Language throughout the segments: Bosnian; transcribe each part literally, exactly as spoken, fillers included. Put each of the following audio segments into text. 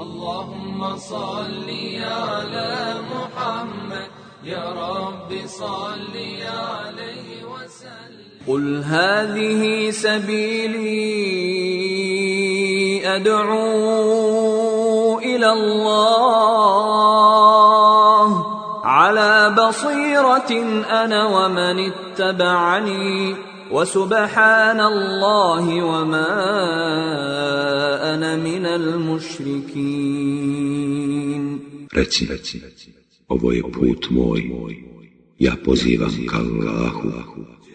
اللهم صل على محمد يا رب صل عليه وسلم قل هذه سبيلي أدعو إلى الله على بصيرة أنا ومن اتبعني وسبحان الله وما أنا من المشركين. Reci, ovo je put moj, ja pozivam ka Allahu,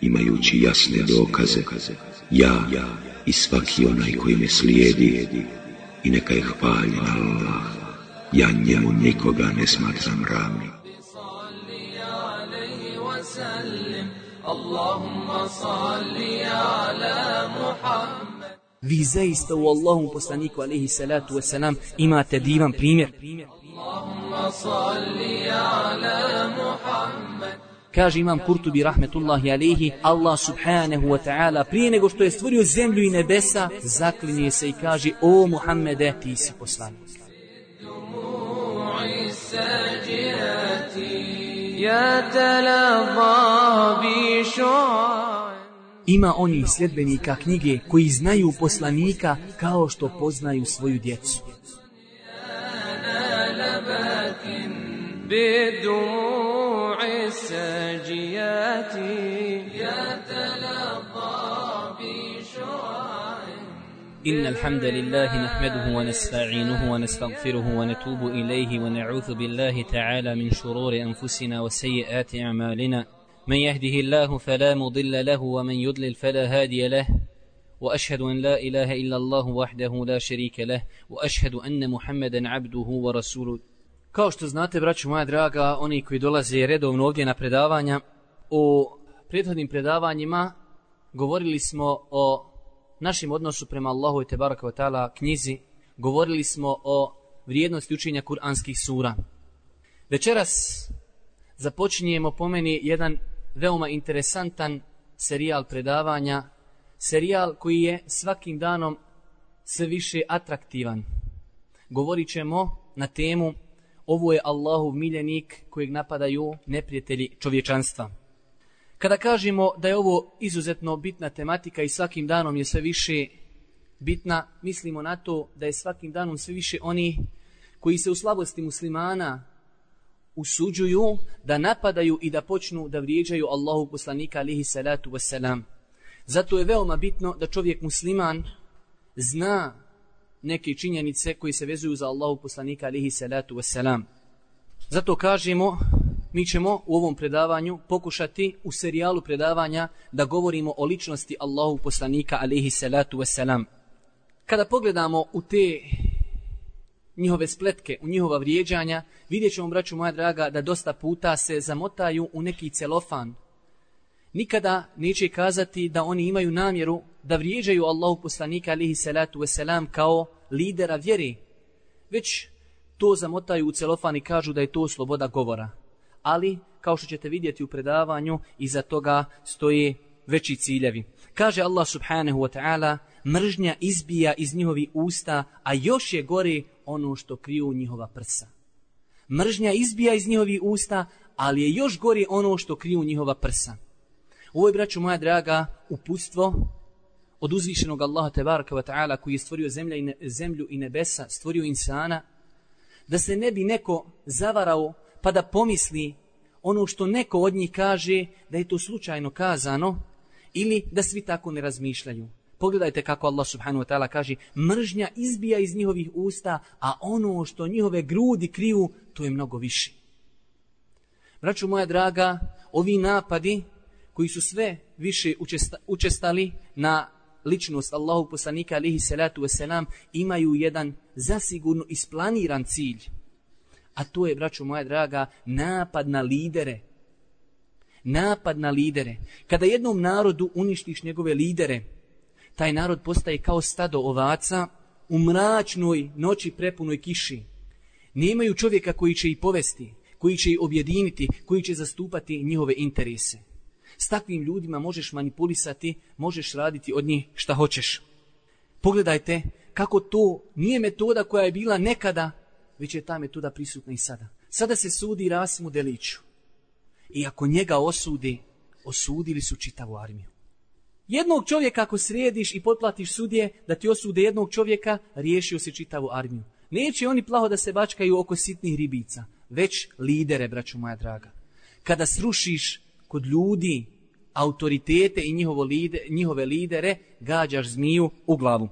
imajući jasne dokaze, ja i svaki onaj koji me slijedi, i neka je hvaljen Allah, ja njemu nikoga ne smatram ravnim. Vi zaista u Allahom poslaniku alejhi salatu vesselam imate divan primjer. Kaže imam Kurtubi rahmetullahi alejhi, Allah subhanahu wa ta'ala prije nego što je stvorio zemlju i nebesa, zaklinje se i kaže: o Muhammede, ti si poslanik. Ima onih sljedbenika knjige koji znaju poslanika kao što poznaju svoju djecu. إن الحمد لله نحمده ونستعينه ونستغفره ونتوب إليه ونعوذ بالله تعالى من شرور أنفسنا وسيئات أعمالنا من يهده الله فلا مضل له ومن يضلل فلا هادي له وأشهد أن لا إله إلا الله وحده لا شريك له وأشهد أن محمدا عبده ورسوله. Kao što znate, braćo moja draga, oni koji dolaze redovno ovdje na predavanja, u prethodnim predavanjima govorili smo o našem odnosu prema Allahu te baraka ve taala knjizi, govorili smo o vrijednosti učenja kuranskih sura. Večeras započinjemo po meni jedan veoma interesantan serijal predavanja, serijal koji je svakim danom sve više atraktivan. Govorit ćemo na temu: ovo je Allahov miljenik kojeg napadaju neprijatelji čovječanstva. Kada kažemo da je ovo izuzetno bitna tematika i svakim danom je sve više bitna, mislimo na to da je svakim danom sve više oni koji se u slabosti muslimana usuđuju da napadaju i da počnu da vrijeđaju Allahu poslanika alejhi salatu vesselam. Zato je veoma bitno da čovjek musliman zna neke činjenice koji se vezuju za Allahu poslanika alejhi salatu vesselam. Zato kažemo, mi ćemo u ovom predavanju pokušati u serijalu predavanja da govorimo o ličnosti Allahu poslanika alejhi salatu vesselam. Kada pogledamo u te njihove spletke, u njihova vrijeđanja, vidjet ćemo, braću moja draga, da dosta puta se zamotaju u neki celofan. Nikada neće kazati da oni imaju namjeru da vrijeđaju Allahu poslanika alejhi salatu vesselam kao lidera vjere, već to zamotaju u celofan i kažu da je to sloboda govora. Ali, kao što ćete vidjeti u predavanju, iza toga stoje veći ciljevi. Kaže Allah subhanahu wa ta'ala: mržnja izbija iz njihovih usta, a još je gore ono što kriju njihova prsa. Mržnja izbija iz njihovih usta, ali je još gore ono što kriju njihova prsa. Ovo je, braćo moja draga, uputstvo od uzvišenog Allaha tebaraka wa ta'ala koji je stvorio zemlja i ne, zemlju i nebesa, stvorio insana, da se ne bi neko zavarao pa da pomisli ono što neko od njih kaže da je to slučajno kazano ili da svi tako ne razmišljaju. Pogledajte kako Allah subhanahu wa ta'ala kaže: mržnja izbija iz njihovih usta, a ono što njihove grudi kriju, to je mnogo više. Braćo moja draga, ovi napadi koji su sve više učesta, učestali na ličnost Allahu poslanika alejhi salatu vesselam imaju jedan zasigurno isplaniran cilj. A to je, braćo moja draga, napad na lidere. Napad na lidere. Kada jednom narodu uništiš njegove lidere, taj narod postaje kao stado ovaca u mračnoj noći prepunoj kiši. Nemaju čovjeka koji će ih povesti, koji će ih objediniti, koji će zastupati njihove interese. S takvim ljudima možeš manipulisati, možeš raditi od njih šta hoćeš. Pogledajte kako to nije metoda koja je bila nekada, već je ta metoda prisutna i sada. Sada se sudi Rasimu Deliću. I ako njega osudi, osudili su čitavu armiju. Jednog čovjeka ako središ i potplatiš sudije da ti osude jednog čovjeka, riješio si čitavu armiju. Neće oni plaho da se bačkaju oko sitnih ribica, već lidere, braćo moja draga. Kada srušiš kod ljudi autoritete i njihovo lide, njihove lidere, gađaš zmiju u glavu.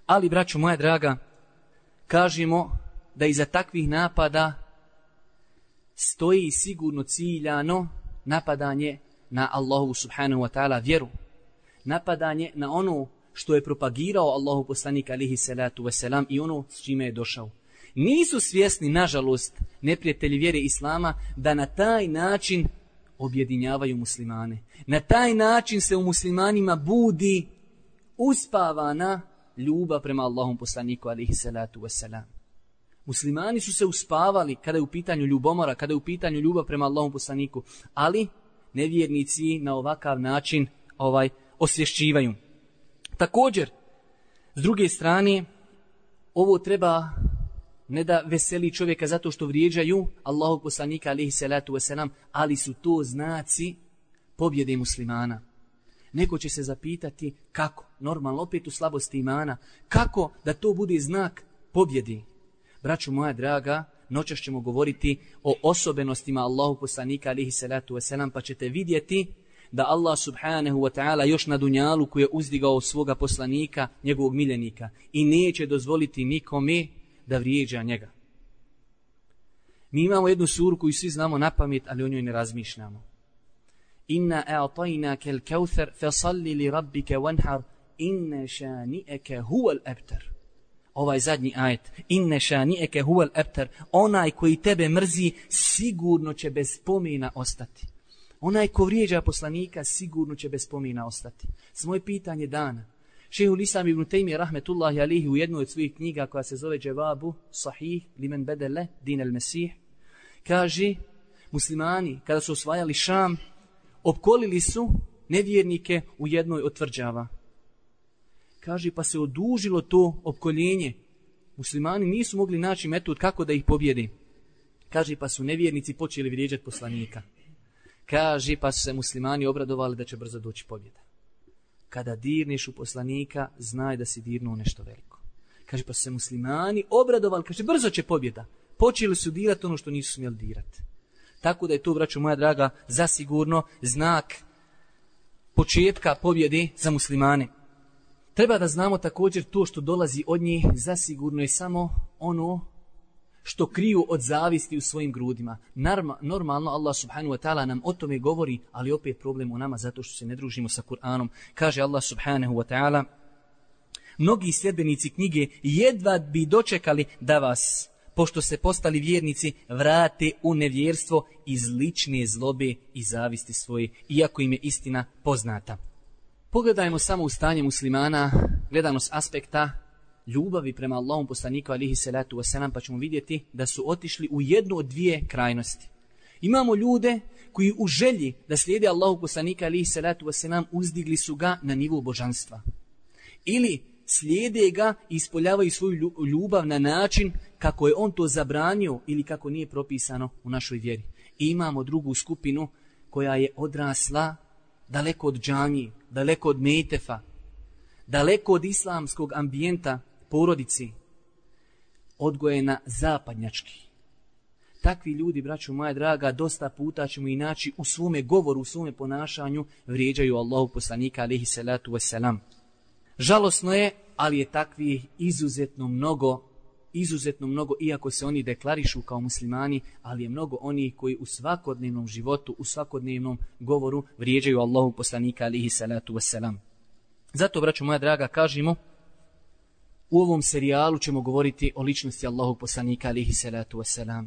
Ali, braćo moja draga, kažemo da iza takvih napada stoji sigurno ciljano napadanje na Allahu subhanahu wa ta'ala vjeru. Napadanje na ono što je propagirao Allahu poslanik alihi salatu wasalam i ono s čime je došao. Nisu svjesni, nažalost, neprijatelji vjere Islama da na taj način objedinjavaju muslimane. Na taj način se u muslimanima budi uspavana ljubav prema Allahom poslaniku alihi salatu wasalam. Muslimani su se uspavali kada je u pitanju ljubomora, kada je u pitanju ljubav prema Allahom poslaniku, ali nevjernici na ovakav način ovaj osvješćivaju. Također, s druge strane, ovo treba ne da veseli čovjeka zato što vrijeđaju Allahog poslanika alihi salatu wasalam, ali su to znaci pobjede muslimana. Neko će se zapitati kako, normalno opet u slabosti imana, kako da to bude znak pobjede. Braćo moja draga, noćas ćemo govoriti o osobenostima Allahog poslanika alihi salatu wasalam, pa ćete vidjeti da Allah subhanahu wa ta'ala još na dunjalu koji je uzdigao svoga poslanika, njegovog miljenika, i neće dozvoliti nikome da vrijeđa njega. Mi imamo jednu suru koju svi znamo na pamet, ali o njoj ne razmišljamo. Inna a'tajnaka al-kauthar fasalli li rabbika wanhar inna shani'aka huwa al-abtar. Ovaj zadnji ajet, inna shani'aka huwa al-abtar, onaj koji tebe mrzi sigurno će bez spomena ostati. Onaj ko vrijeđa poslanika sigurno će bez spomena ostati. Svoje pitanje dana. Šejhul Islam ibn Tejmije rahmetullahi alihi u jednoj od svojih knjiga koja se zove Dževabu Sahih limen bedele din el Mesih kaže, muslimani kada su osvajali Šam opkolili su nevjernike u jednoj od tvrđava. Kaže, pa se odužilo to opkoljenje. Muslimani nisu mogli naći metod kako da ih pobjede. Kaže, pa su nevjernici počeli vrijeđati poslanika. Kaže, pa su se muslimani obradovali da će brzo doći pobjeda. Kada dirneš u poslanika, znaj da si dirnuo nešto veliko. Kaže, pa su se muslimani obradovali, kaže, brzo će pobjeda. Počeli su dirati ono što nisu smjeli dirati. Tako da je to, braćo moja draga, zasigurno znak početka pobjede za muslimane. Treba da znamo također to što dolazi od njih, zasigurno je samo ono što kriju od zavisti u svojim grudima. Normalno Allah subhanahu wa ta'ala nam o tome govori, ali opet problem u nama zato što se ne družimo sa Kur'anom. Kaže Allah subhanahu wa ta'ala, mnogi sljedbenici knjige jedva bi dočekali da vas, pošto se postali vjernici, vrate u nevjerstvo iz lične zlobe i zavisti svoje, iako im je istina poznata. Pogledajmo samo u stanje muslimana, gledano s aspekta ljubavi prema Allahom poslaniku alihi salatu wasalam, pa ćemo vidjeti da su otišli u jednu od dvije krajnosti. Imamo ljude koji u želji da slijede Allahog poslanika alihi salatu wasalam uzdigli su ga na nivo božanstva. Ili slijede ga i ispoljavaju svoju ljubav na način kako je on to zabranio ili kako nije propisano u našoj vjeri. I imamo drugu skupinu koja je odrasla daleko od džamije, daleko od metefa, daleko od islamskog ambijenta porodici, odgojena zapadnjački. Takvi ljudi, braćo moja draga, dosta puta ćemo i naći u svome govoru, u svome ponašanju, vrijeđaju Allahu poslanika alihi salatu wasalam. Žalosno je, ali je takvi izuzetno mnogo, izuzetno mnogo, iako se oni deklarišu kao muslimani, ali je mnogo onih koji u svakodnevnom životu, u svakodnevnom govoru vrijeđaju Allahu poslanika alihi salatu wasalam. Zato, braćo moja draga, kažemo, u ovom serijalu ćemo govoriti o ličnosti Allahog poslanika alihi salatu wasalam.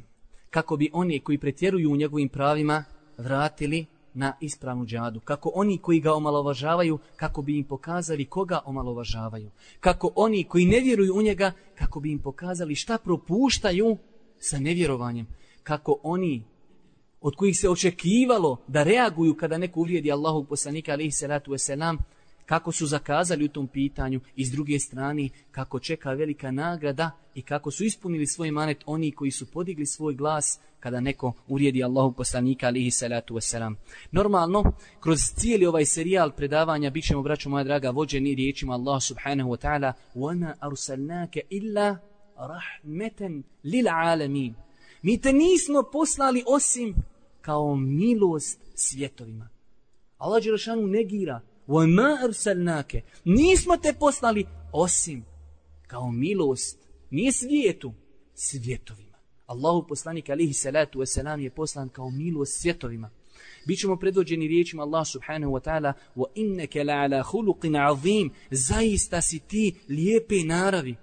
Kako bi oni koji pretjeruju u njegovim pravima vratili na ispravnu džadu. Kako oni koji ga omalovažavaju, kako bi im pokazali koga omalovažavaju. Kako oni koji ne vjeruju u njega, kako bi im pokazali šta propuštaju sa nevjerovanjem. Kako oni od kojih se očekivalo da reaguju kada neko uvrijedi Allahog poslanika alihi salatu wasalam, kako su zakazali u tom pitanju i s druge strane kako čeka velika nagrada i kako su ispunili svoj manet oni koji su podigli svoj glas kada neko uvrijedi Allahov poslanika alihi salatu wasalam. Normalno, kroz cijeli ovaj serijal predavanja bit ćemo, braćo moja draga, vođeni riječima Allah subhanahu wa ta'ala وَمَا أَرْسَلْنَاكَ إِلَّا رَحْمَةً لِلْعَالَمِينَ. Mi te nismo poslali osim kao milost svjetovima. Allah dželešanu negira وَمَا أَرْسَلْنَاكَ. Nismo te poslali osim kao milost, nije svijetu, svjetovima. Allahu poslanik alihi salatu wasalam je poslan kao milost svjetovima. Bićemo predvođeni riječima Allah subhanahu wa ta'ala وَإِنَّكَ لَعَلَى خُلُقٍ عَظِيمٍ. Zaista si ti lijepe naravi.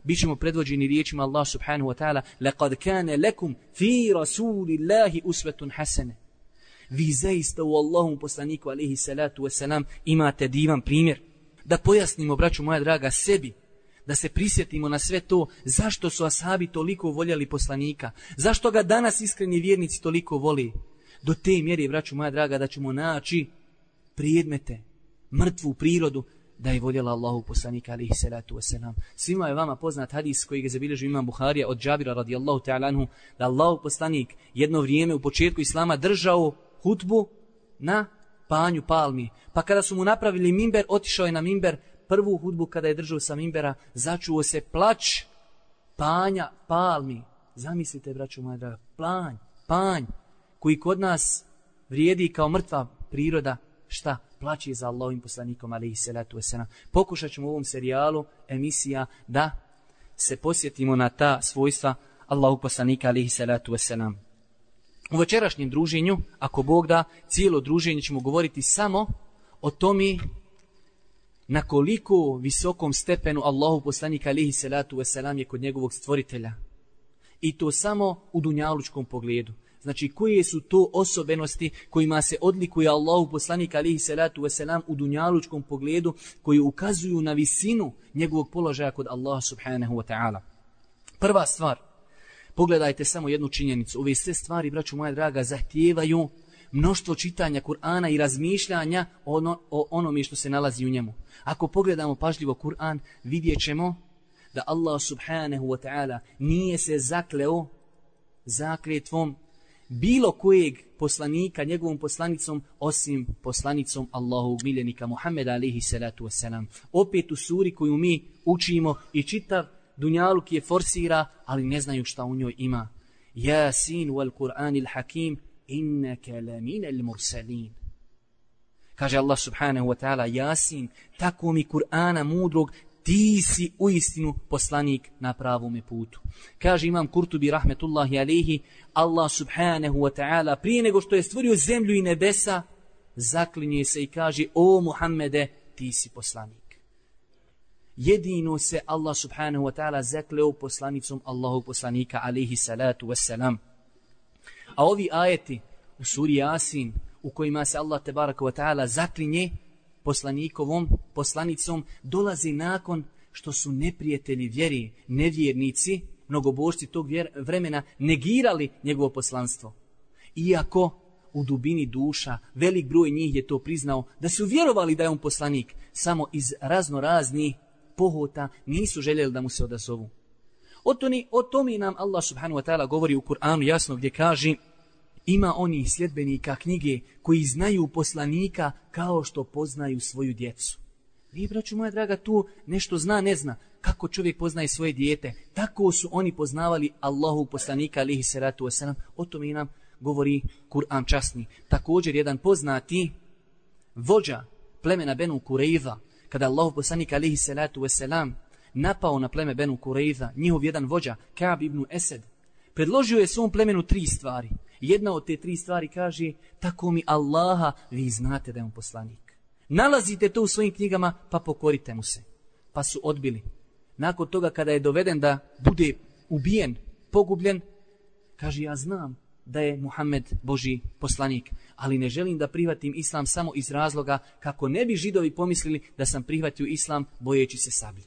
Bićemo predvođeni riječima Allah subhanahu wa ta'ala لَقَدْ كَانَ لَكُمْ فِي رَسُولِ اللَّهِ أُسْوَةٌ حَسَنَةٌ. Vi zaista u Allahom poslaniku alihi salatu wasalam imate divan primjer. Da pojasnimo, braću moja draga, sebi, da se prisjetimo na sve to, zašto su ashabi toliko voljeli poslanika, zašto ga danas iskreni vjernici toliko voli. Do te mjere, braću moja draga, da ćemo naći predmete, mrtvu prirodu, da je voljela Allahu poslanika alihi salatu wasalam. Svima je vama poznat hadis koji ga zabilježi imam Buharija od Džabira radijallahu ta'ala anhu, da Allahu poslanik jedno vrijeme u početku islama držao hutbu na panju palmi. Pa kada su mu napravili mimber, otišao je na mimber. Prvu hudbu kada je držao sa mimbera, začuo se plać panja palmi. Zamislite, braćo moja draga, planj, panj, koji kod nas vrijedi kao mrtva priroda, šta? Plaći za Allahovim poslanikom, alejhi salatu vesselam. Pokušat ćemo u ovom serijalu emisija da se posjetimo na ta svojstva Allahovog poslanika, alejhi salatu vesselam. U večerašnjem druženju, ako Bog da, cijelo druženje ćemo govoriti samo o tome na koliko visokom stepenu Allahov poslanik alejhi salatu vesselam je kod njegovog stvoritelja. I to samo u dunjalučkom pogledu. Znači, koje su to osobenosti kojima se odlikuje Allahov poslanik alejhi salatu vesselam u dunjalučkom pogledu, koji ukazuju na visinu njegovog položaja kod Allaha subhanahu wa ta'ala. Prva stvar, pogledajte samo jednu činjenicu. Ove sve stvari, braću moja draga, zahtijevaju mnoštvo čitanja Kur'ana i razmišljanja ono, o onome što se nalazi u njemu. Ako pogledamo pažljivo Kur'an, vidjet ćemo da Allah subhanahu wa ta'ala nije se zakleo zakletvom bilo kojeg poslanika njegovom poslanicom osim poslanicom Allahovog miljenika Muhammeda alejhi salatu vesselam. Opet u suri koju mi učimo i čitav dunjaluk je forsira, ali ne znaju šta u njoj ima. Yasin wal Qur'anil hakim innaka laminal mursalin. Kaže Allah subhanahu wa ta'ala, Yasin, tako mi Kur'ana mudrog, ti si uistinu poslanik na pravome putu. Kaže imam Kurtubi rahmetullahi alejhi, Allah subhanahu wa ta'ala prije nego što je stvorio zemlju i nebesa, zaklinje se i kaže, o Muhammede, ti si poslanik. Jedino se Allah subhanahu wa ta'ala zakleo poslanicom Allahog poslanika alejhi salatu wassalam. A ovi ajeti u suri Yasin u kojima se Allah tebaraka wa ta'ala zaklinje poslanikovom, poslanicom, dolazi nakon što su neprijatelji vjeri, nevjernici, mnogobožci tog vjer, vremena negirali njegovo poslanstvo. Iako u dubini duša velik broj njih je to priznao, da su vjerovali da je on poslanik, samo iz razno raznih pohota nisu željeli da mu se odazovu. O tome, o tome nam Allah subhanahu wa ta'ala govori u Kur'anu jasno gdje kaže, ima onih sljedbenika knjige koji znaju poslanika kao što poznaju svoju djecu. Vi, braću moja draga, tu nešto zna, ne zna. Kako čovjek poznaje svoje dijete, tako su oni poznavali Allahu poslanika alejhi salatu vesselam. O tome nam govori Kur'an časni. Također jedan poznati vođa plemena Benu Kurejza, kada Allahu poslanik alejhi salatu vesselam napao na pleme Benu Kurejza, njihov jedan vođa Ka'b ibn Esed, predložio je svom plemenu tri stvari. Jedna od te tri stvari kaže, tako mi Allaha, vi znate da je on poslanik. Nalazite to u svojim knjigama, pa pokorite mu se. Pa su odbili. Nakon toga kada je doveden da bude ubijen, pogubljen, kaže, ja znam da je Muhammed Božji poslanik, ali ne želim da prihvatim islam samo iz razloga kako ne bi Židovi pomislili da sam prihvatio islam bojeći se sablje.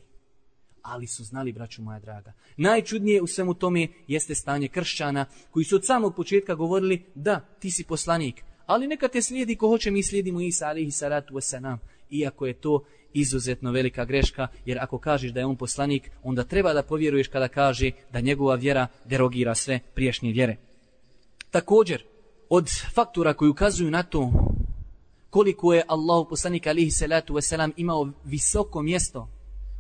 Ali su znali, braću moja draga. Najčudnije u svemu tome jeste stanje kršćana koji su od samog početka govorili, da, ti si poslanik, ali neka te slijedi ko hoće, mi slijedimo Isa alejhi salatu vesselam. iako je to izuzetno velika greška, jer ako kažeš da je on poslanik, onda treba da povjeruješ kada kaže da njegova vjera derogira sve prijašnje vjere. Također, od faktora koji ukazuju na to koliko je Allahu poslanik alihi salatu wasalam imao visoko mjesto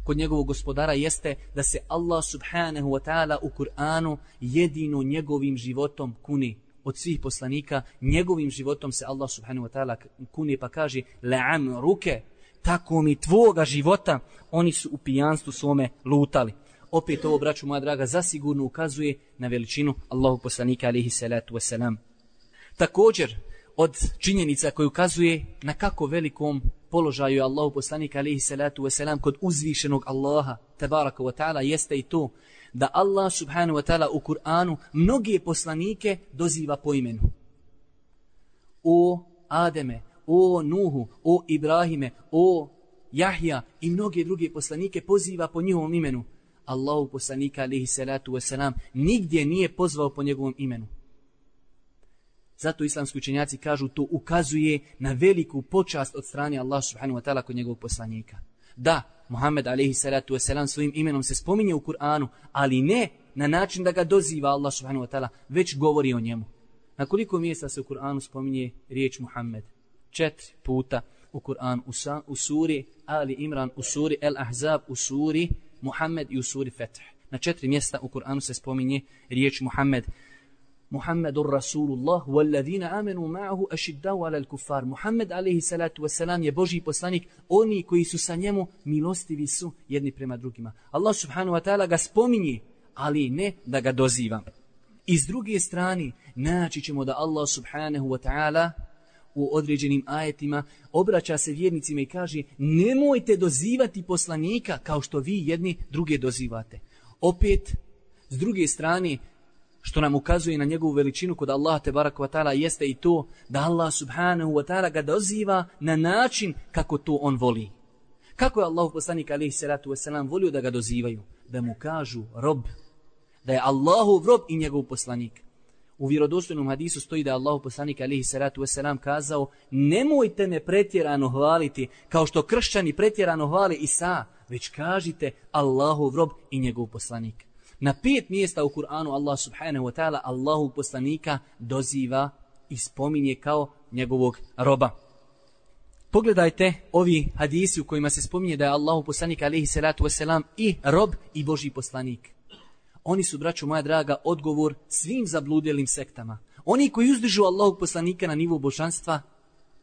kod njegovog gospodara jeste da se Allah subhanahu wa ta'ala u Kur'anu jedino njegovim životom kuni. Od svih poslanika njegovim životom se Allah subhanahu wa ta'ala kuni pa kaže la'am ruke, tako mi tvoga života, oni su u pijanstvu svome lutali. Opet ovo, braću moja draga, zasigurno ukazuje na veličinu Allahu poslanika alihi salatu wasalam. Također, od činjenica koji ukazuje na kako velikom položaju je Allahu poslanik alihi salatu wasalam kod uzvišenog Allaha tabaraka wa ta'ala jeste i to da Allah subhanahu wa ta'ala u Kur'anu mnoge poslanike doziva po imenu. O Ademe, o Nuhu, o Ibrahime, o Jahja i mnoge druge poslanike poziva po njihovom imenu. Allahu poslanika alihi salatu wasalam nigdje nije pozvao po njegovom imenu. Zato islamski učenjaci kažu to ukazuje na veliku počast od strane Allah subhanahu wa ta'ala kod njegovog poslanika. Da, Muhammed alejhi salatu vesselam svojim imenom se spominje u Kur'anu, ali ne na način da ga doziva Allah subhanahu wa ta'ala, već govori o njemu. Na koliko mjesta se u Kur'anu spominje riječ Muhammed? Četiri puta u Kur'anu, u, u suri Ali Imran, u suri El Ahzab, u suri Muhammed i u suri Fetih. Na četiri mjesta u Kur'anu se spominje riječ Muhammed. Muhammedur Rasulullah walladhina amanu ma'ahu ashiddau 'alal kuffar. Muhammed alejhi salatu vesselam je Božji poslanik, oni koji su sa njemu milostivi su jedni prema drugima. Allah subhanahu wa ta'ala ga spominje, ali ne da ga doziva. I s druge strane, naći ćemo da Allah subhanahu wa ta'ala u određenim ajetima obraća se vjernicima i kaže nemojte dozivati poslanika kao što vi jedni druge dozivate. Opet, s druge strane, što nam ukazuje na njegovu veličinu kod Allaha tebaraka wa ta'ala jeste i to da Allah subhanahu wa ta'ala ga doziva na način kako to on voli. Kako je Allahu poslanik alejhi salatu vesselam volio da ga dozivaju? Da mu kažu rob, da je Allahov rob i njegov poslanik. U vjerodostojnom hadisu stoji da je Allahu poslanik alejhi salatu vesselam kazao nemojte me pretjerano hvaliti kao što kršćani pretjerano hvale Isa, već kažite Allahov rob i njegov poslanik. Na pet mjesta u Kur'anu Allah subhanahu wa ta'ala Allahu poslanika doziva i spominje kao njegovog roba. Pogledajte ovi hadisi u kojima se spominje da je Allahu poslanik alejhi salatu vesselam i rob i Božji poslanik. Oni su, braćo moja draga, odgovor svim zabludelim sektama. Oni koji uzdižu Allahog poslanika na nivo božanstva,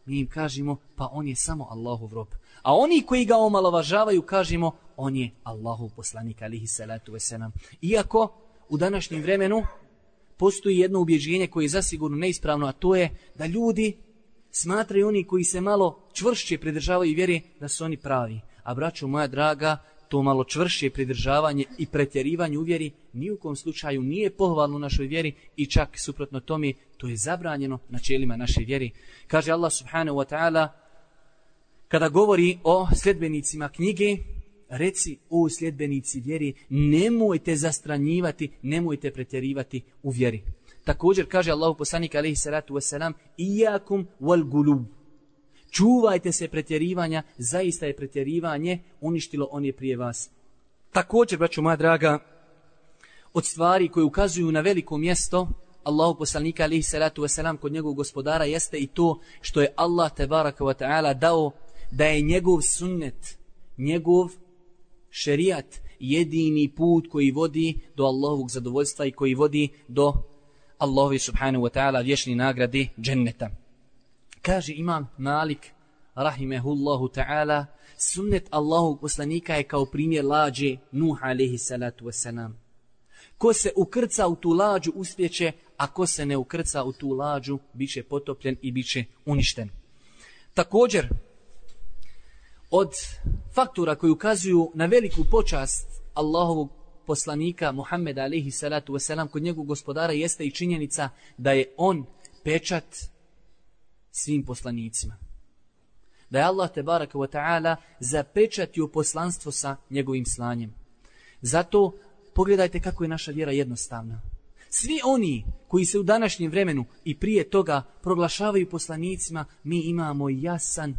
mi im kažemo pa on je samo Allahov rob. A oni koji ga omalovažavaju kažemo on je Allahov poslanik alejhi salatu vesselam. Iako u današnjem vremenu postoji jedno ubjeđenje koje je zasigurno neispravno, a to je da ljudi smatraju oni koji se malo čvršće pridržavaju vjere da su oni pravi. A braćo moja draga, to malo čvršće pridržavanje i pretjerivanje u vjeri ni u kom slučaju nije pohvalno u našoj vjeri i čak suprotno tome to je zabranjeno načelima naše vjeri. Kaže Allah subhanahu wa ta'ala kada govori o sljedbenicima knjige, reci o sljedbenici vjeri, nemojte zastranjivati, nemojte pretjerivati u vjeri. Također kaže Allahu poslanik alejhi salatu vesselam iyakum wal gulub. Čuvajte se pretjerivanja, zaista je pretjerivanje uništilo on je prije vas. Također, braćo moja draga, od stvari koje ukazuju na veliko mjesto Allahu poslanika alejhi salatu vesselam kod njegovog gospodara jeste i to što je Allah tebaraka wa ta'ala dao da je njegov sunnet, njegov šerijat jedini put koji vodi do Allahovog zadovoljstva i koji vodi do Allahovi subhanahu wa ta'ala vječne nagrade dženneta. Kaže imam Malik rahimehullahu ta'ala sunnet Allahovog poslanika je kao primjer lađe Nuh alejhi salatu vesselam. Ko se ukrca u tu lađu uspjeće, a ko se ne ukrca u tu lađu biće potopljen i biće uništen. Također, od faktora koji ukazuju na veliku počast Allahovog poslanika Muhammeda alejhi salatu vesselam kod njegovog gospodara jeste i činjenica da je on pečat svim poslanicima. Da je Allah tebaraka wa ta'ala zapečatio poslanstvo sa njegovim slanjem. Zato pogledajte kako je naša vjera jednostavna. Svi oni koji se u današnjem vremenu i prije toga proglašavaju poslanicima, mi imamo jasan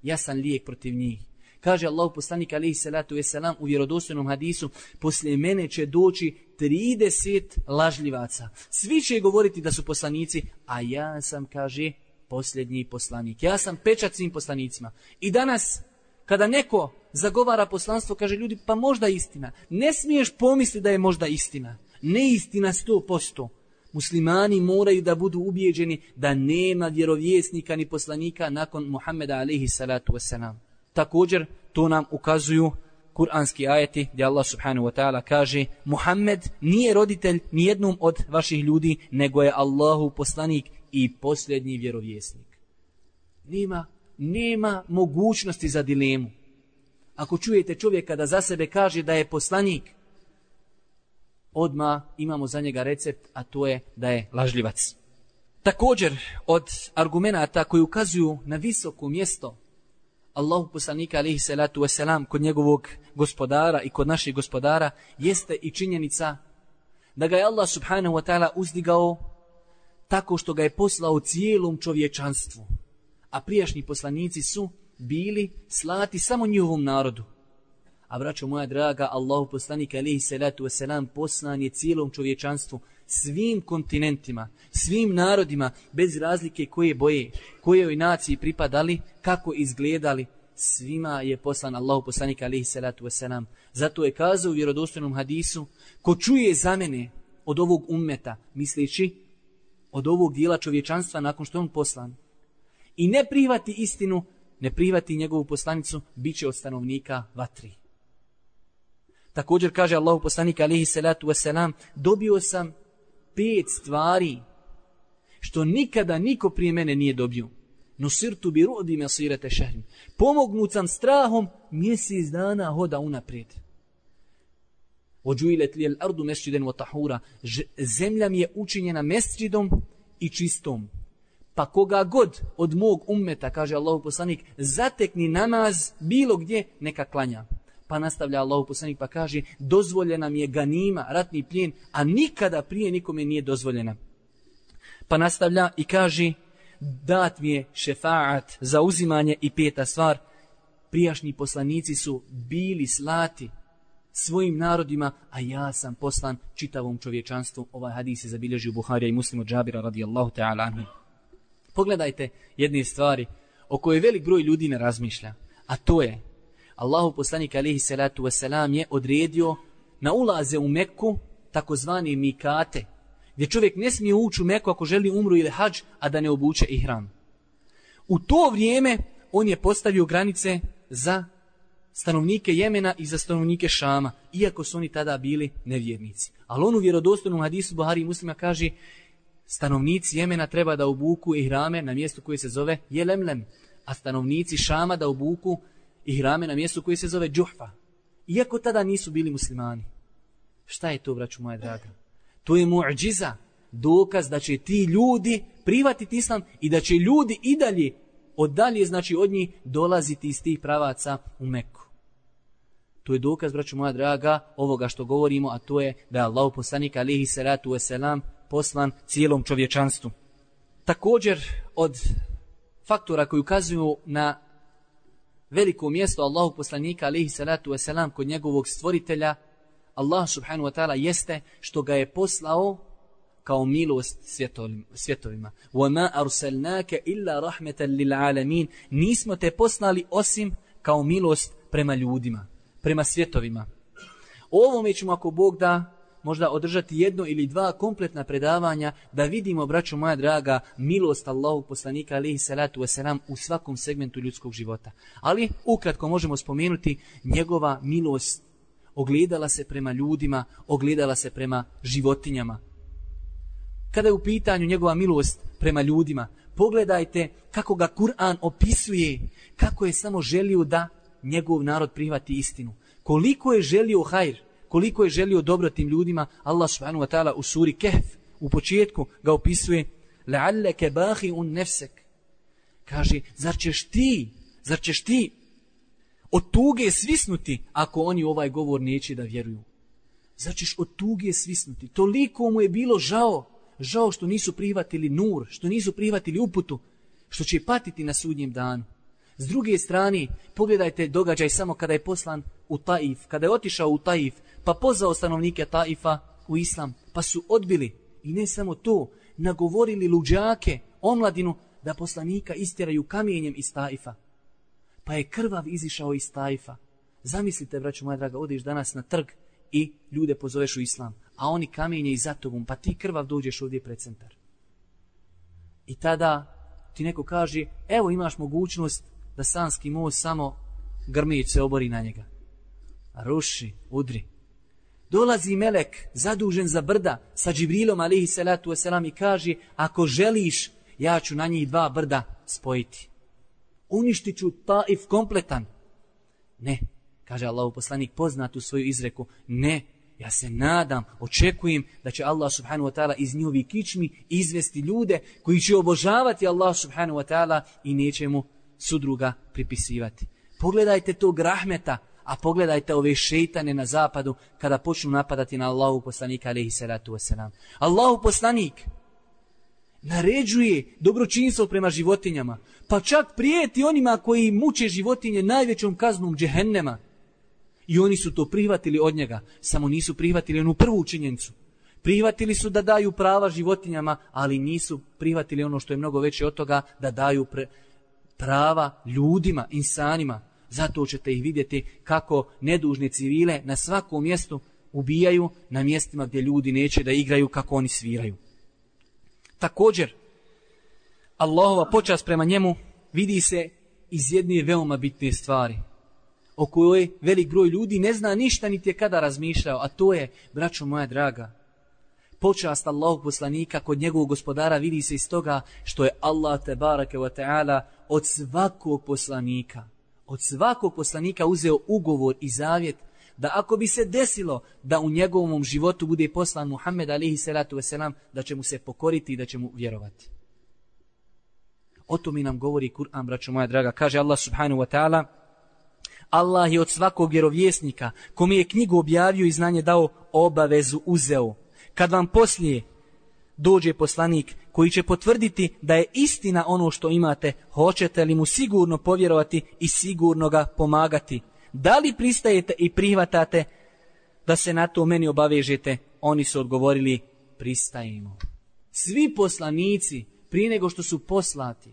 jasan lijek protiv njih. Kaže Allahu poslanik alejhi salatu vesselam u vjerodostojnom hadisu, poslije mene će doći trideset lažljivaca. Svi će govoriti da su poslanici, a ja sam, kaže, posljednji poslanik. Ja sam pečat svim poslanicima. I danas, kada neko zagovara poslanstvo, kaže ljudi, pa možda istina. Ne smiješ pomisliti da je možda istina. Neistina sto posto. Muslimani moraju da budu ubijeđeni da nema vjerovjesnika ni poslanika nakon Muhammeda alejhi salatu vesselam. Također, to nam ukazuju kuranski ajeti gdje Allah subhanahu wa ta'ala kaže Muhammed nije roditelj nijednom od vaših ljudi, nego je Allahu poslanik i posljednji vjerovjesnik. Nema, nema mogućnosti za dilemu. Ako čujete čovjeka da za sebe kaže da je poslanik, odmah imamo za njega recept, a to je da je lažljivac. Također, od argumenata koji ukazuju na visoko mjesto Allahu poslanika alejhi salatu vesselam kod njegovog gospodara i kod naših gospodara jeste i činjenica da ga je Allah subhanahu wa ta'ala uzdigao tako što ga je poslao cijelom čovječanstvu. A prijašnji poslanici su bili slati samo njihovom narodu. A braćo moja draga, Allahu poslanik alejhi salatu vesselam poslan je cijelom čovječanstvu, svim kontinentima, svim narodima, bez razlike koje boje, kojoj naciji pripadali, kako izgledali, svima je poslan Allahu poslanik alejhi salatu vesselam. Zato je kazao u vjerodostojnom hadisu, ko čuje za mene od ovog ummeta, misleći od ovog dijela čovječanstva nakon što on poslan, i ne prihvati istinu, ne prihvati njegovu poslanicu, bit će od stanovnika vatri. Također kaže Allahu poslanik alejhi salatu vesselam, dobio sam pet stvari što nikada niko prije mene nije dobio. Nusirtu bi ru'di masirate šehrin. Pomognut sam strahom mjesec dana hoda unaprijed. Ođuilet li al ardu mesđiden wa tahura. Zemlja mi je učinjena mesđidom i čistom. Pa koga god od mog ummeta, kaže Allahu poslanik, zatekni namaz bilo gdje, neka klanja. Pa nastavlja Allahu poslanik pa kaže, dozvoljena mi je ganima, ratni plijen, a nikada prije nikome nije dozvoljena. Pa nastavlja i kaže, dat mi je šefaat za uzimanje i peta stvar, prijašnji poslanici su bili slati svojim narodima, a ja sam poslan čitavom čovječanstvu. Ovaj hadis je zabilježio Buharija i Muslim od Džabira radijallahu ta'ala anhu. Pogledajte jedne stvari o kojoj velik broj ljudi ne razmišlja, a to je Allahu poslanik alejhi salatu vesselam je odredio na ulaze u Mekku takozvani mikate, gdje čovjek ne smije ući u Meku ako želi umru ili hadž, a da ne obuče ihram. U to vrijeme on je postavio granice za stanovnike Jemena i za stanovnike Šama, iako su oni tada bili nevjernici. Ali on u vjerodostojnom hadisu Buhari i Muslima kaže, stanovnici Jemena treba da obuku ihrame na mjestu koje se zove Jelemlem, a stanovnici Šama da obuku ihrame na mjestu koje se zove Džuhfa. Iako tada nisu bili muslimani. Šta je to, braću moja draga? To je mu'džiza, dokaz da će ti ljudi prihvatiti islam i da će ljudi i dalje, od dalje, znači od njih, dolaziti iz tih pravaca u Meku. To je dokaz, braću moja draga, ovoga što govorimo, a to je da je Allahu poslanik alejhi salatu vesselam poslan cijelom čovječanstvu. Također, od faktora koji ukazuju na veliko mjesto Allahu poslanika alejhi salatu vesselam kod njegovog stvoritelja, Allah subhanahu wa ta'ala, jeste što ga je poslao kao milost svjetovima. وَمَا أَرْسَلْنَاكَ إِلَّا رَحْمَةً لِلْعَالَمِينَ. Nismo te poslali osim kao milost prema ljudima, prema svjetovima. O ovome ćemo, ako Bog da, možda održati jedno ili dva kompletna predavanja da vidimo, braćo moja draga, milost Allahu poslanika alejhi salatu vesselam u svakom segmentu ljudskog života. Ali ukratko možemo spomenuti njegova milost ogledala se prema ljudima, ogledala se prema životinjama. Kada je u pitanju njegova milost prema ljudima, pogledajte kako ga Kur'an opisuje, kako je samo želio da njegov narod prihvati istinu. Koliko je želio hajr, koliko je želio dobro tim ljudima. Allah subhanahu wa ta'ala u suri Kehf u početku ga opisuje la'allaka bahi'un nafsak. Kaže, zar ćeš ti, zar ćeš ti od tuge svisnuti ako oni ovaj govor neće da vjeruju? Zar ćeš od tuge svisnuti? Toliko mu je bilo žao, žao što nisu prihvatili nur, što nisu prihvatili uputu, što će patiti na sudnjem danu. S druge strane, pogledajte događaj samo kada je poslan u Taif, kada je otišao u Taif, pa pozvao stanovnike Taifa u islam, pa su odbili. I ne samo to, nagovorili luđake, omladinu, da poslanika istjeraju kamenjem iz Taifa. Pa je krvav izišao iz Taifa. Zamislite, braćo moja draga, odeš danas na trg i ljude pozoveš u islam, a oni kamenje i za tobom, pa ti krvav dođeš ovdje pred centar. I tada ti neko kaže, evo imaš mogućnost da Sanski most samo grmić se obori na njega. A ruši, udri. Dolazi melek zadužen za brda sa Džibrilom alejhi salatu vesselam i kaže, ako želiš, ja ću na njih dva brda spojiti. Uništit ću Taif kompletan. Ne, kaže Allahu poslanik poznatu svoju izreku, ne, ja se nadam, očekujem da će Allah subhanahu wa ta'ala iz njihovi kičmi izvesti ljude koji će obožavati Allah subhanahu wa ta'ala i neće mu sudruga pripisivati. Pogledajte tog rahmeta, a pogledajte ove šejtane na zapadu kada počnu napadati na Allahu poslanika alejhi salatu vesselam. Allahu poslanik naređuje dobročinstvo prema životinjama, pa čak prijeti onima koji muče životinje najvećom kaznom džehennema. I oni su to prihvatili od njega, samo nisu prihvatili onu prvu činjenicu. Prihvatili su da daju prava životinjama, ali nisu prihvatili ono što je mnogo veće od toga, da daju pre, prava ljudima, insanima. Zato ćete ih vidjeti kako nedužne civile na svakom mjestu ubijaju, na mjestima gdje ljudi neće da igraju kako oni sviraju. Također, Allahova počast prema njemu vidi se iz jedne veoma bitne stvari, o kojoj velik broj ljudi ne zna ništa niti je kada razmišljao, a to je, braćo moja draga, počast Allahog poslanika kod njegovog gospodara vidi se iz toga što je Allah tebareke ve taala od svakog poslanika, od svakog poslanika uzeo ugovor i zavjet da ako bi se desilo da u njegovom životu bude poslan Muhammed alejhi salatu vesselam, da će mu se pokoriti i da će mu vjerovati. O tome nam govori Kur'an, braćo moja draga. Kaže Allah subhanahu wa ta'ala, Allah je od svakog vjerovjesnika, kome je knjigu objavio i znanje dao, obavezu uzeo. Kad vam poslije dođe poslanik koji će potvrditi da je istina ono što imate, hoćete li mu sigurno povjerovati i sigurno ga pomagati? Da li pristajete i prihvatate da se na to meni obavežete? Oni su odgovorili, pristajemo. Svi poslanici, prije nego što su poslati,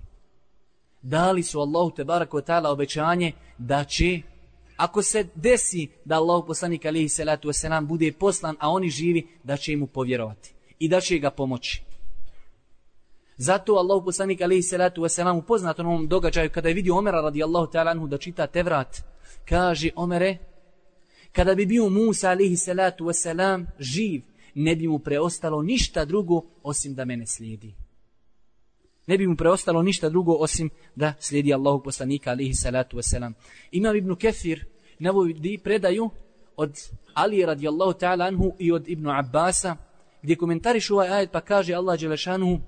dali su Allahu tebaraka ve taala obećanje da će, ako se desi da Allahu poslanik alejhi salatu vesselam bude poslan, a oni živi, da će mu povjerovati i da će ga pomoći. Zato Allahu poslanik alejhi salatu vesselam u poznatom ovom događaju kada je vidio Omera radijallahu ta'ala anhu da čita Tevrat, kaže, Omere, kada bi bio Musa alejhi salatu vesselam živ, ne bi mu preostalo ništa drugo osim da mene slijedi. Ne bi mu preostalo ništa drugo osim da slijedi Allahog poslanika alejhi salatu vesselam. Imam Ibn Kefir navodi predaju od Ali radijallahu ta'ala anhu i od Ibn Abbasa, gdje komentariš ovaj ajet pa kaže Allah dželešanu,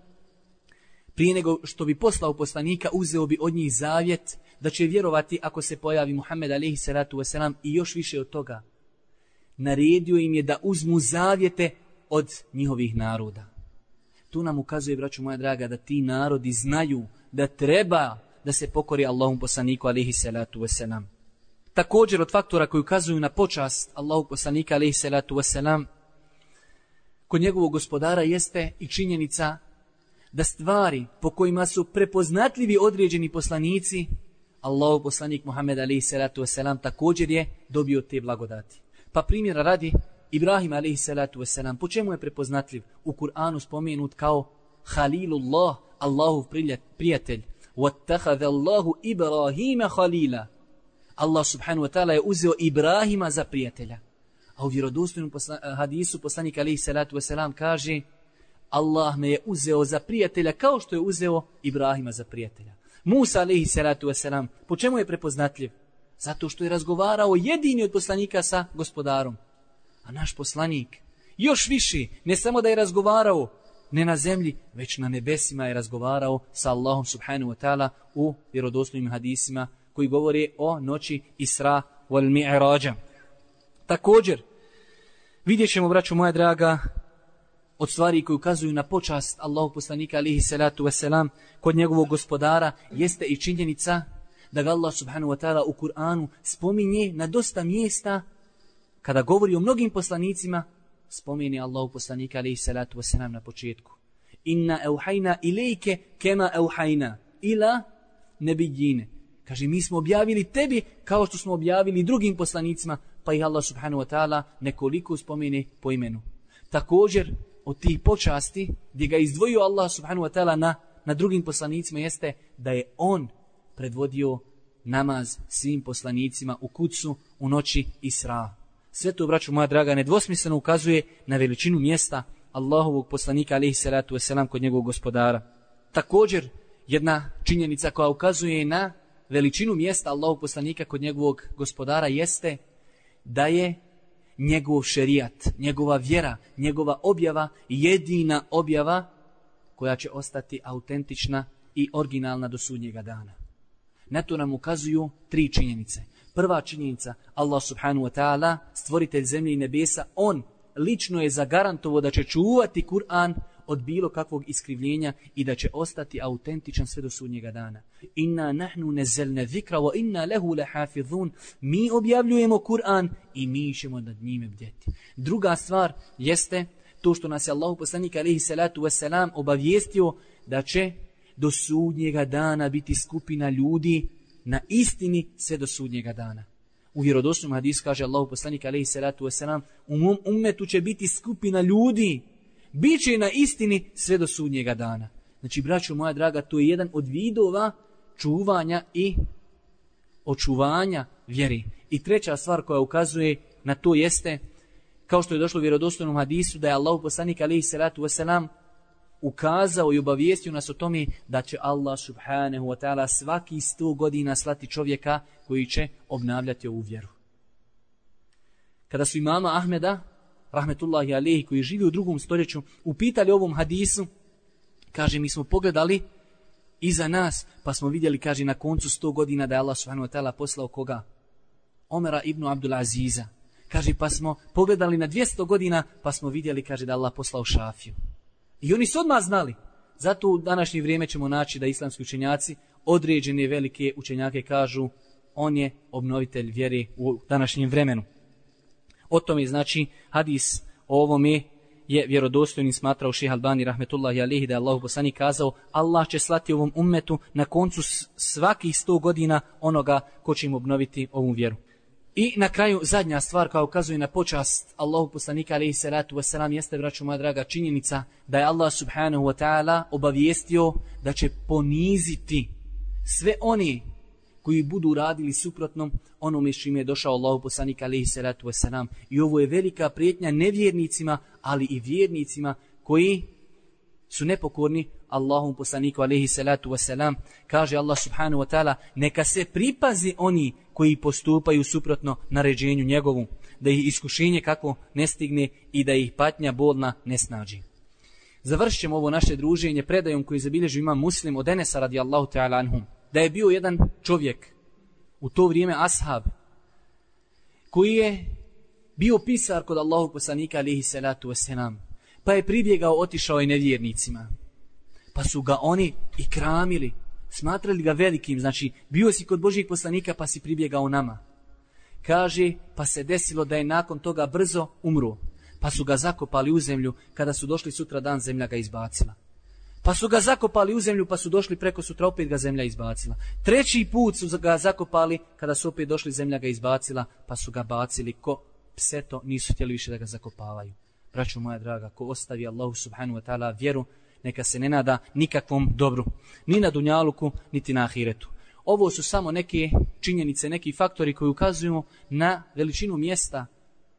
prije nego što bi poslao poslanika, uzeo bi od njih zavjet da će vjerovati ako se pojavi Muhammed alejhi salatu vesselam, i još više od toga. Naredio im je da uzmu zavjete od njihovih naroda. Tu nam ukazuje, braćo moja draga, da ti narodi znaju da treba da se pokori Allahom poslaniku alejhi salatu vesselam. Također od faktora koji ukazuju na počast Allahog poslanika alejhi salatu vesselam kod njegovog gospodara jeste i činjenica da stvari po kojima su prepoznatljivi određeni poslanici, Allahov poslanik Muhammed alejhi salatu vesselam također je dobio te blagodati. Pa primjera radi, Ibrahim alejhi salatu vesselam, po čemu je prepoznatljiv? U Kur'anu spomenut kao Halilullah, Allahov prijatelj. Wattakhadha Allahu Ibrahima Khalila. Allah subhanahu wa ta'ala je uzeo Ibrahima za prijatelja. A u vjerodostojnom posla, hadisu poslanik alejhi salatu vesselam kaže, Allah me je uzeo za prijatelja kao što je uzeo Ibrahima za prijatelja. Musa alejhi salatu vesselam, po čemu je prepoznatljiv? Zato što je razgovarao jedini od poslanika sa gospodarom. A naš poslanik još više, ne samo da je razgovarao ne na zemlji, već na nebesima je razgovarao sa Allahom subhanahu wa ta'ala u vjerodostojnim hadisima koji govore o noći Isra wal Mi'rađa. Također, vidjet ćemo, braćo moja draga, od stvari koji ukazuju na počast Allahog poslanika alejhi salatu vesselam kod njegovog gospodara jeste i činjenica da ga Allah subhanahu wa ta'ala u Kur'anu spominje na dosta mjesta, kada govori o mnogim poslanicima, spomeni Allahu poslanika alejhi salatu vesselam na početku. Inna euhajna ilejke kema euhajna ila nebijine. Kaže, mi smo objavili tebi kao što smo objavili drugim poslanicima, pa ih Allah subhanahu wa ta'ala nekoliko spomene po imenu. Također, od tih počasti, gdje ga izdvojio Allah subhanahu wa ta'ala na, na drugim poslanicima, jeste da je on predvodio namaz svim poslanicima u kucu u noći Isra. Sve to, braćo moja draga, nedvosmisleno ukazuje na veličinu mjesta Allahovog poslanika alejhi salatu vesselam kod njegovog gospodara. Također, jedna činjenica koja ukazuje na veličinu mjesta Allahovog poslanika kod njegovog gospodara jeste da je njegov šerijat, njegova vjera, njegova objava jedina objava koja će ostati autentična i originalna do sudnjega dana. Na to nam ukazuju tri činjenice. Prva činjenica, Allah subhanahu wa ta'ala, stvoritelj zemlje i nebesa, on lično je zagarantovao da će čuvati Kur'an od bilo kakvog iskrivljenja i da će ostati autentičan sve do sudnjega dana. Inna nahnu nazzalna zikra wa inna lahu lahafizun. Mi objavljujemo Kur'an i mi ćemo nad njime bdjeti. Druga stvar jeste to što nas je Allahu poslanik alejhi salatu vesselam obavijestio da će do sudnjega dana biti skupina ljudi na istini sve do sudnjega dana. U vjerodostojnom hadisu kaže Allahu poslanik alejhi salatu vesselam, u mom ummetu će biti skupina ljudi, biće na istini sve do sudnjega dana. Znači, braćo moja draga, to je jedan od vidova čuvanja i očuvanja vjeri. I treća stvar koja ukazuje na to jeste, kao što je došlo u vjerodostojnom hadisu, da je Allahu poslanik alejhi salatu vesselam ukazao i obavijestio nas o tome da će Allah subhanahu wa ta'ala svaki sto godina slati čovjeka koji će obnavljati ovu vjeru. Kada su imama Ahmeda, rahmetullahi alejhi, koji živi u drugom stoljeću, upitali ovom hadisu, kaže, mi smo pogledali iza nas, pa smo vidjeli, kaže, na koncu sto godina da je Allah subhanahu wa ta'ala poslao koga? Omera ibn Abdul Aziza. Kaže, pa smo pogledali na dvjesto godina, pa smo vidjeli, kaže, da je Allah poslao Šafiju. I oni su odmah znali. Zato u današnje vrijeme ćemo naći da islamski učenjaci, određene velike učenjake, kažu on je obnovitelj vjere u današnjem vremenu. O tome, znači, hadis o ovome je vjerodostojni smatrao Šejh Albani rahmetullahi alejhi, da je Allahu poslanik kazao, Allah će slati ovom ummetu na koncu svakih sto godina onoga ko će im obnoviti ovu vjeru. I na kraju, zadnja stvar koja ukazuje na počast Allahu poslanika alejhi salatu vesselam jeste, braćo moja draga, činjenica da je Allah subhanahu wa ta'ala obavijestio da će poniziti sve oni koji budu radili suprotno onome s čime je došao Allahu poslanik alejhi salatu vesselam. I ovo je velika prijetnja nevjernicima, ali i vjernicima koji su nepokorni Allahom poslaniku alejhi salatu vesselam. Kaže Allah subhanahu wa ta'ala, neka se pripazi oni koji postupaju suprotno naređenju njegovu, da ih iskušenje kako ne stigne i da ih patnja bolna ne snađi. Završit ćemo ovo naše druženje predajom koji zabilježi imam Muslim od Enesa radijallahu ta'ala anhum, da je bio jedan čovjek u to vrijeme ashab koji je bio pisar kod Allahog poslanika alejhi salatu vesselam, pa je pribjegao, otišao i nevjernicima, pa su ga oni i kramili, smatrali ga velikim, znači bio si kod Božijeg poslanika pa si pribjegao nama. Kaže, pa se desilo da je nakon toga brzo umro, pa su ga zakopali u zemlju, kada su došli sutra dan zemlja ga izbacila. Pa su ga zakopali u zemlju, pa su došli preko sutra, opet ga zemlja izbacila. Treći put su ga zakopali, kada su opet došli, zemlja ga izbacila, pa su ga bacili ko pseto, nisu htjeli više da ga zakopavaju. Braćo moja draga, ko ostavi Allahu subhanahu wa ta'ala vjeru, neka se ne nada nikakvom dobru, ni na dunjaluku, niti na ahiretu. Ovo su samo neke činjenice, neki faktori koji ukazuju na veličinu mjesta,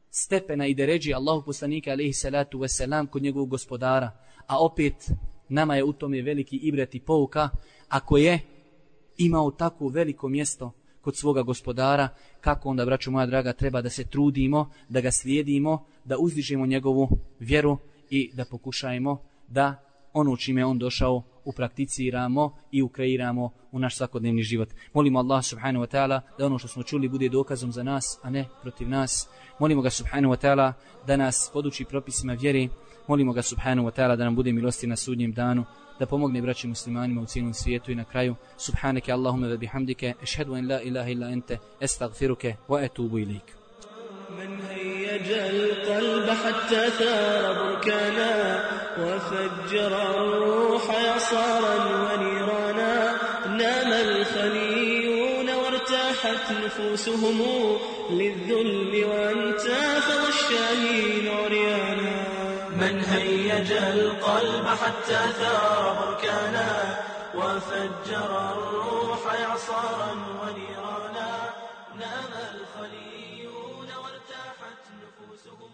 stepena i deređi Allahu poslanika alejhi salatu vesselam kod njegovog gospodara. A opet nama je u tome veliki ibret i pouka, ako je imao tako veliko mjesto kod svoga gospodara, kako onda, braćo moja draga, treba da se trudimo, da ga slijedimo, da uzdižemo njegovu vjeru i da pokušajmo da ono čime on došao uprakticiramo i ukreiramo u naš svakodnevni život. Molimo Allah subhanahu wa ta'ala da ono što smo čuli bude dokazom za nas, a ne protiv nas. Molimo ga subhanahu wa ta'ala da nas poduči propisima vjere, Molimo ga subhanahu wa ta'ala da nam bude milosti na sudnjem danu, da pomogne braći muslimanima u cijelom svijetu i na kraju subhaneke Allahumma wa bihamdike ashhadu an la ilaha illa anta astaghfiruke wa atubu ilaik. من هيج القلب حتى ثار بركانا وفجر الروح يصارا ونيرانا نام الخليون وارتاحت نفوسهم للذل وانتفض الشاهين عريانا من هيج القلب حتى ثار بركانا وفجر الروح يعصارا ونيرانا نام الخليون وارتاحت نفوسهم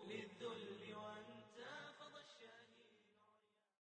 للذل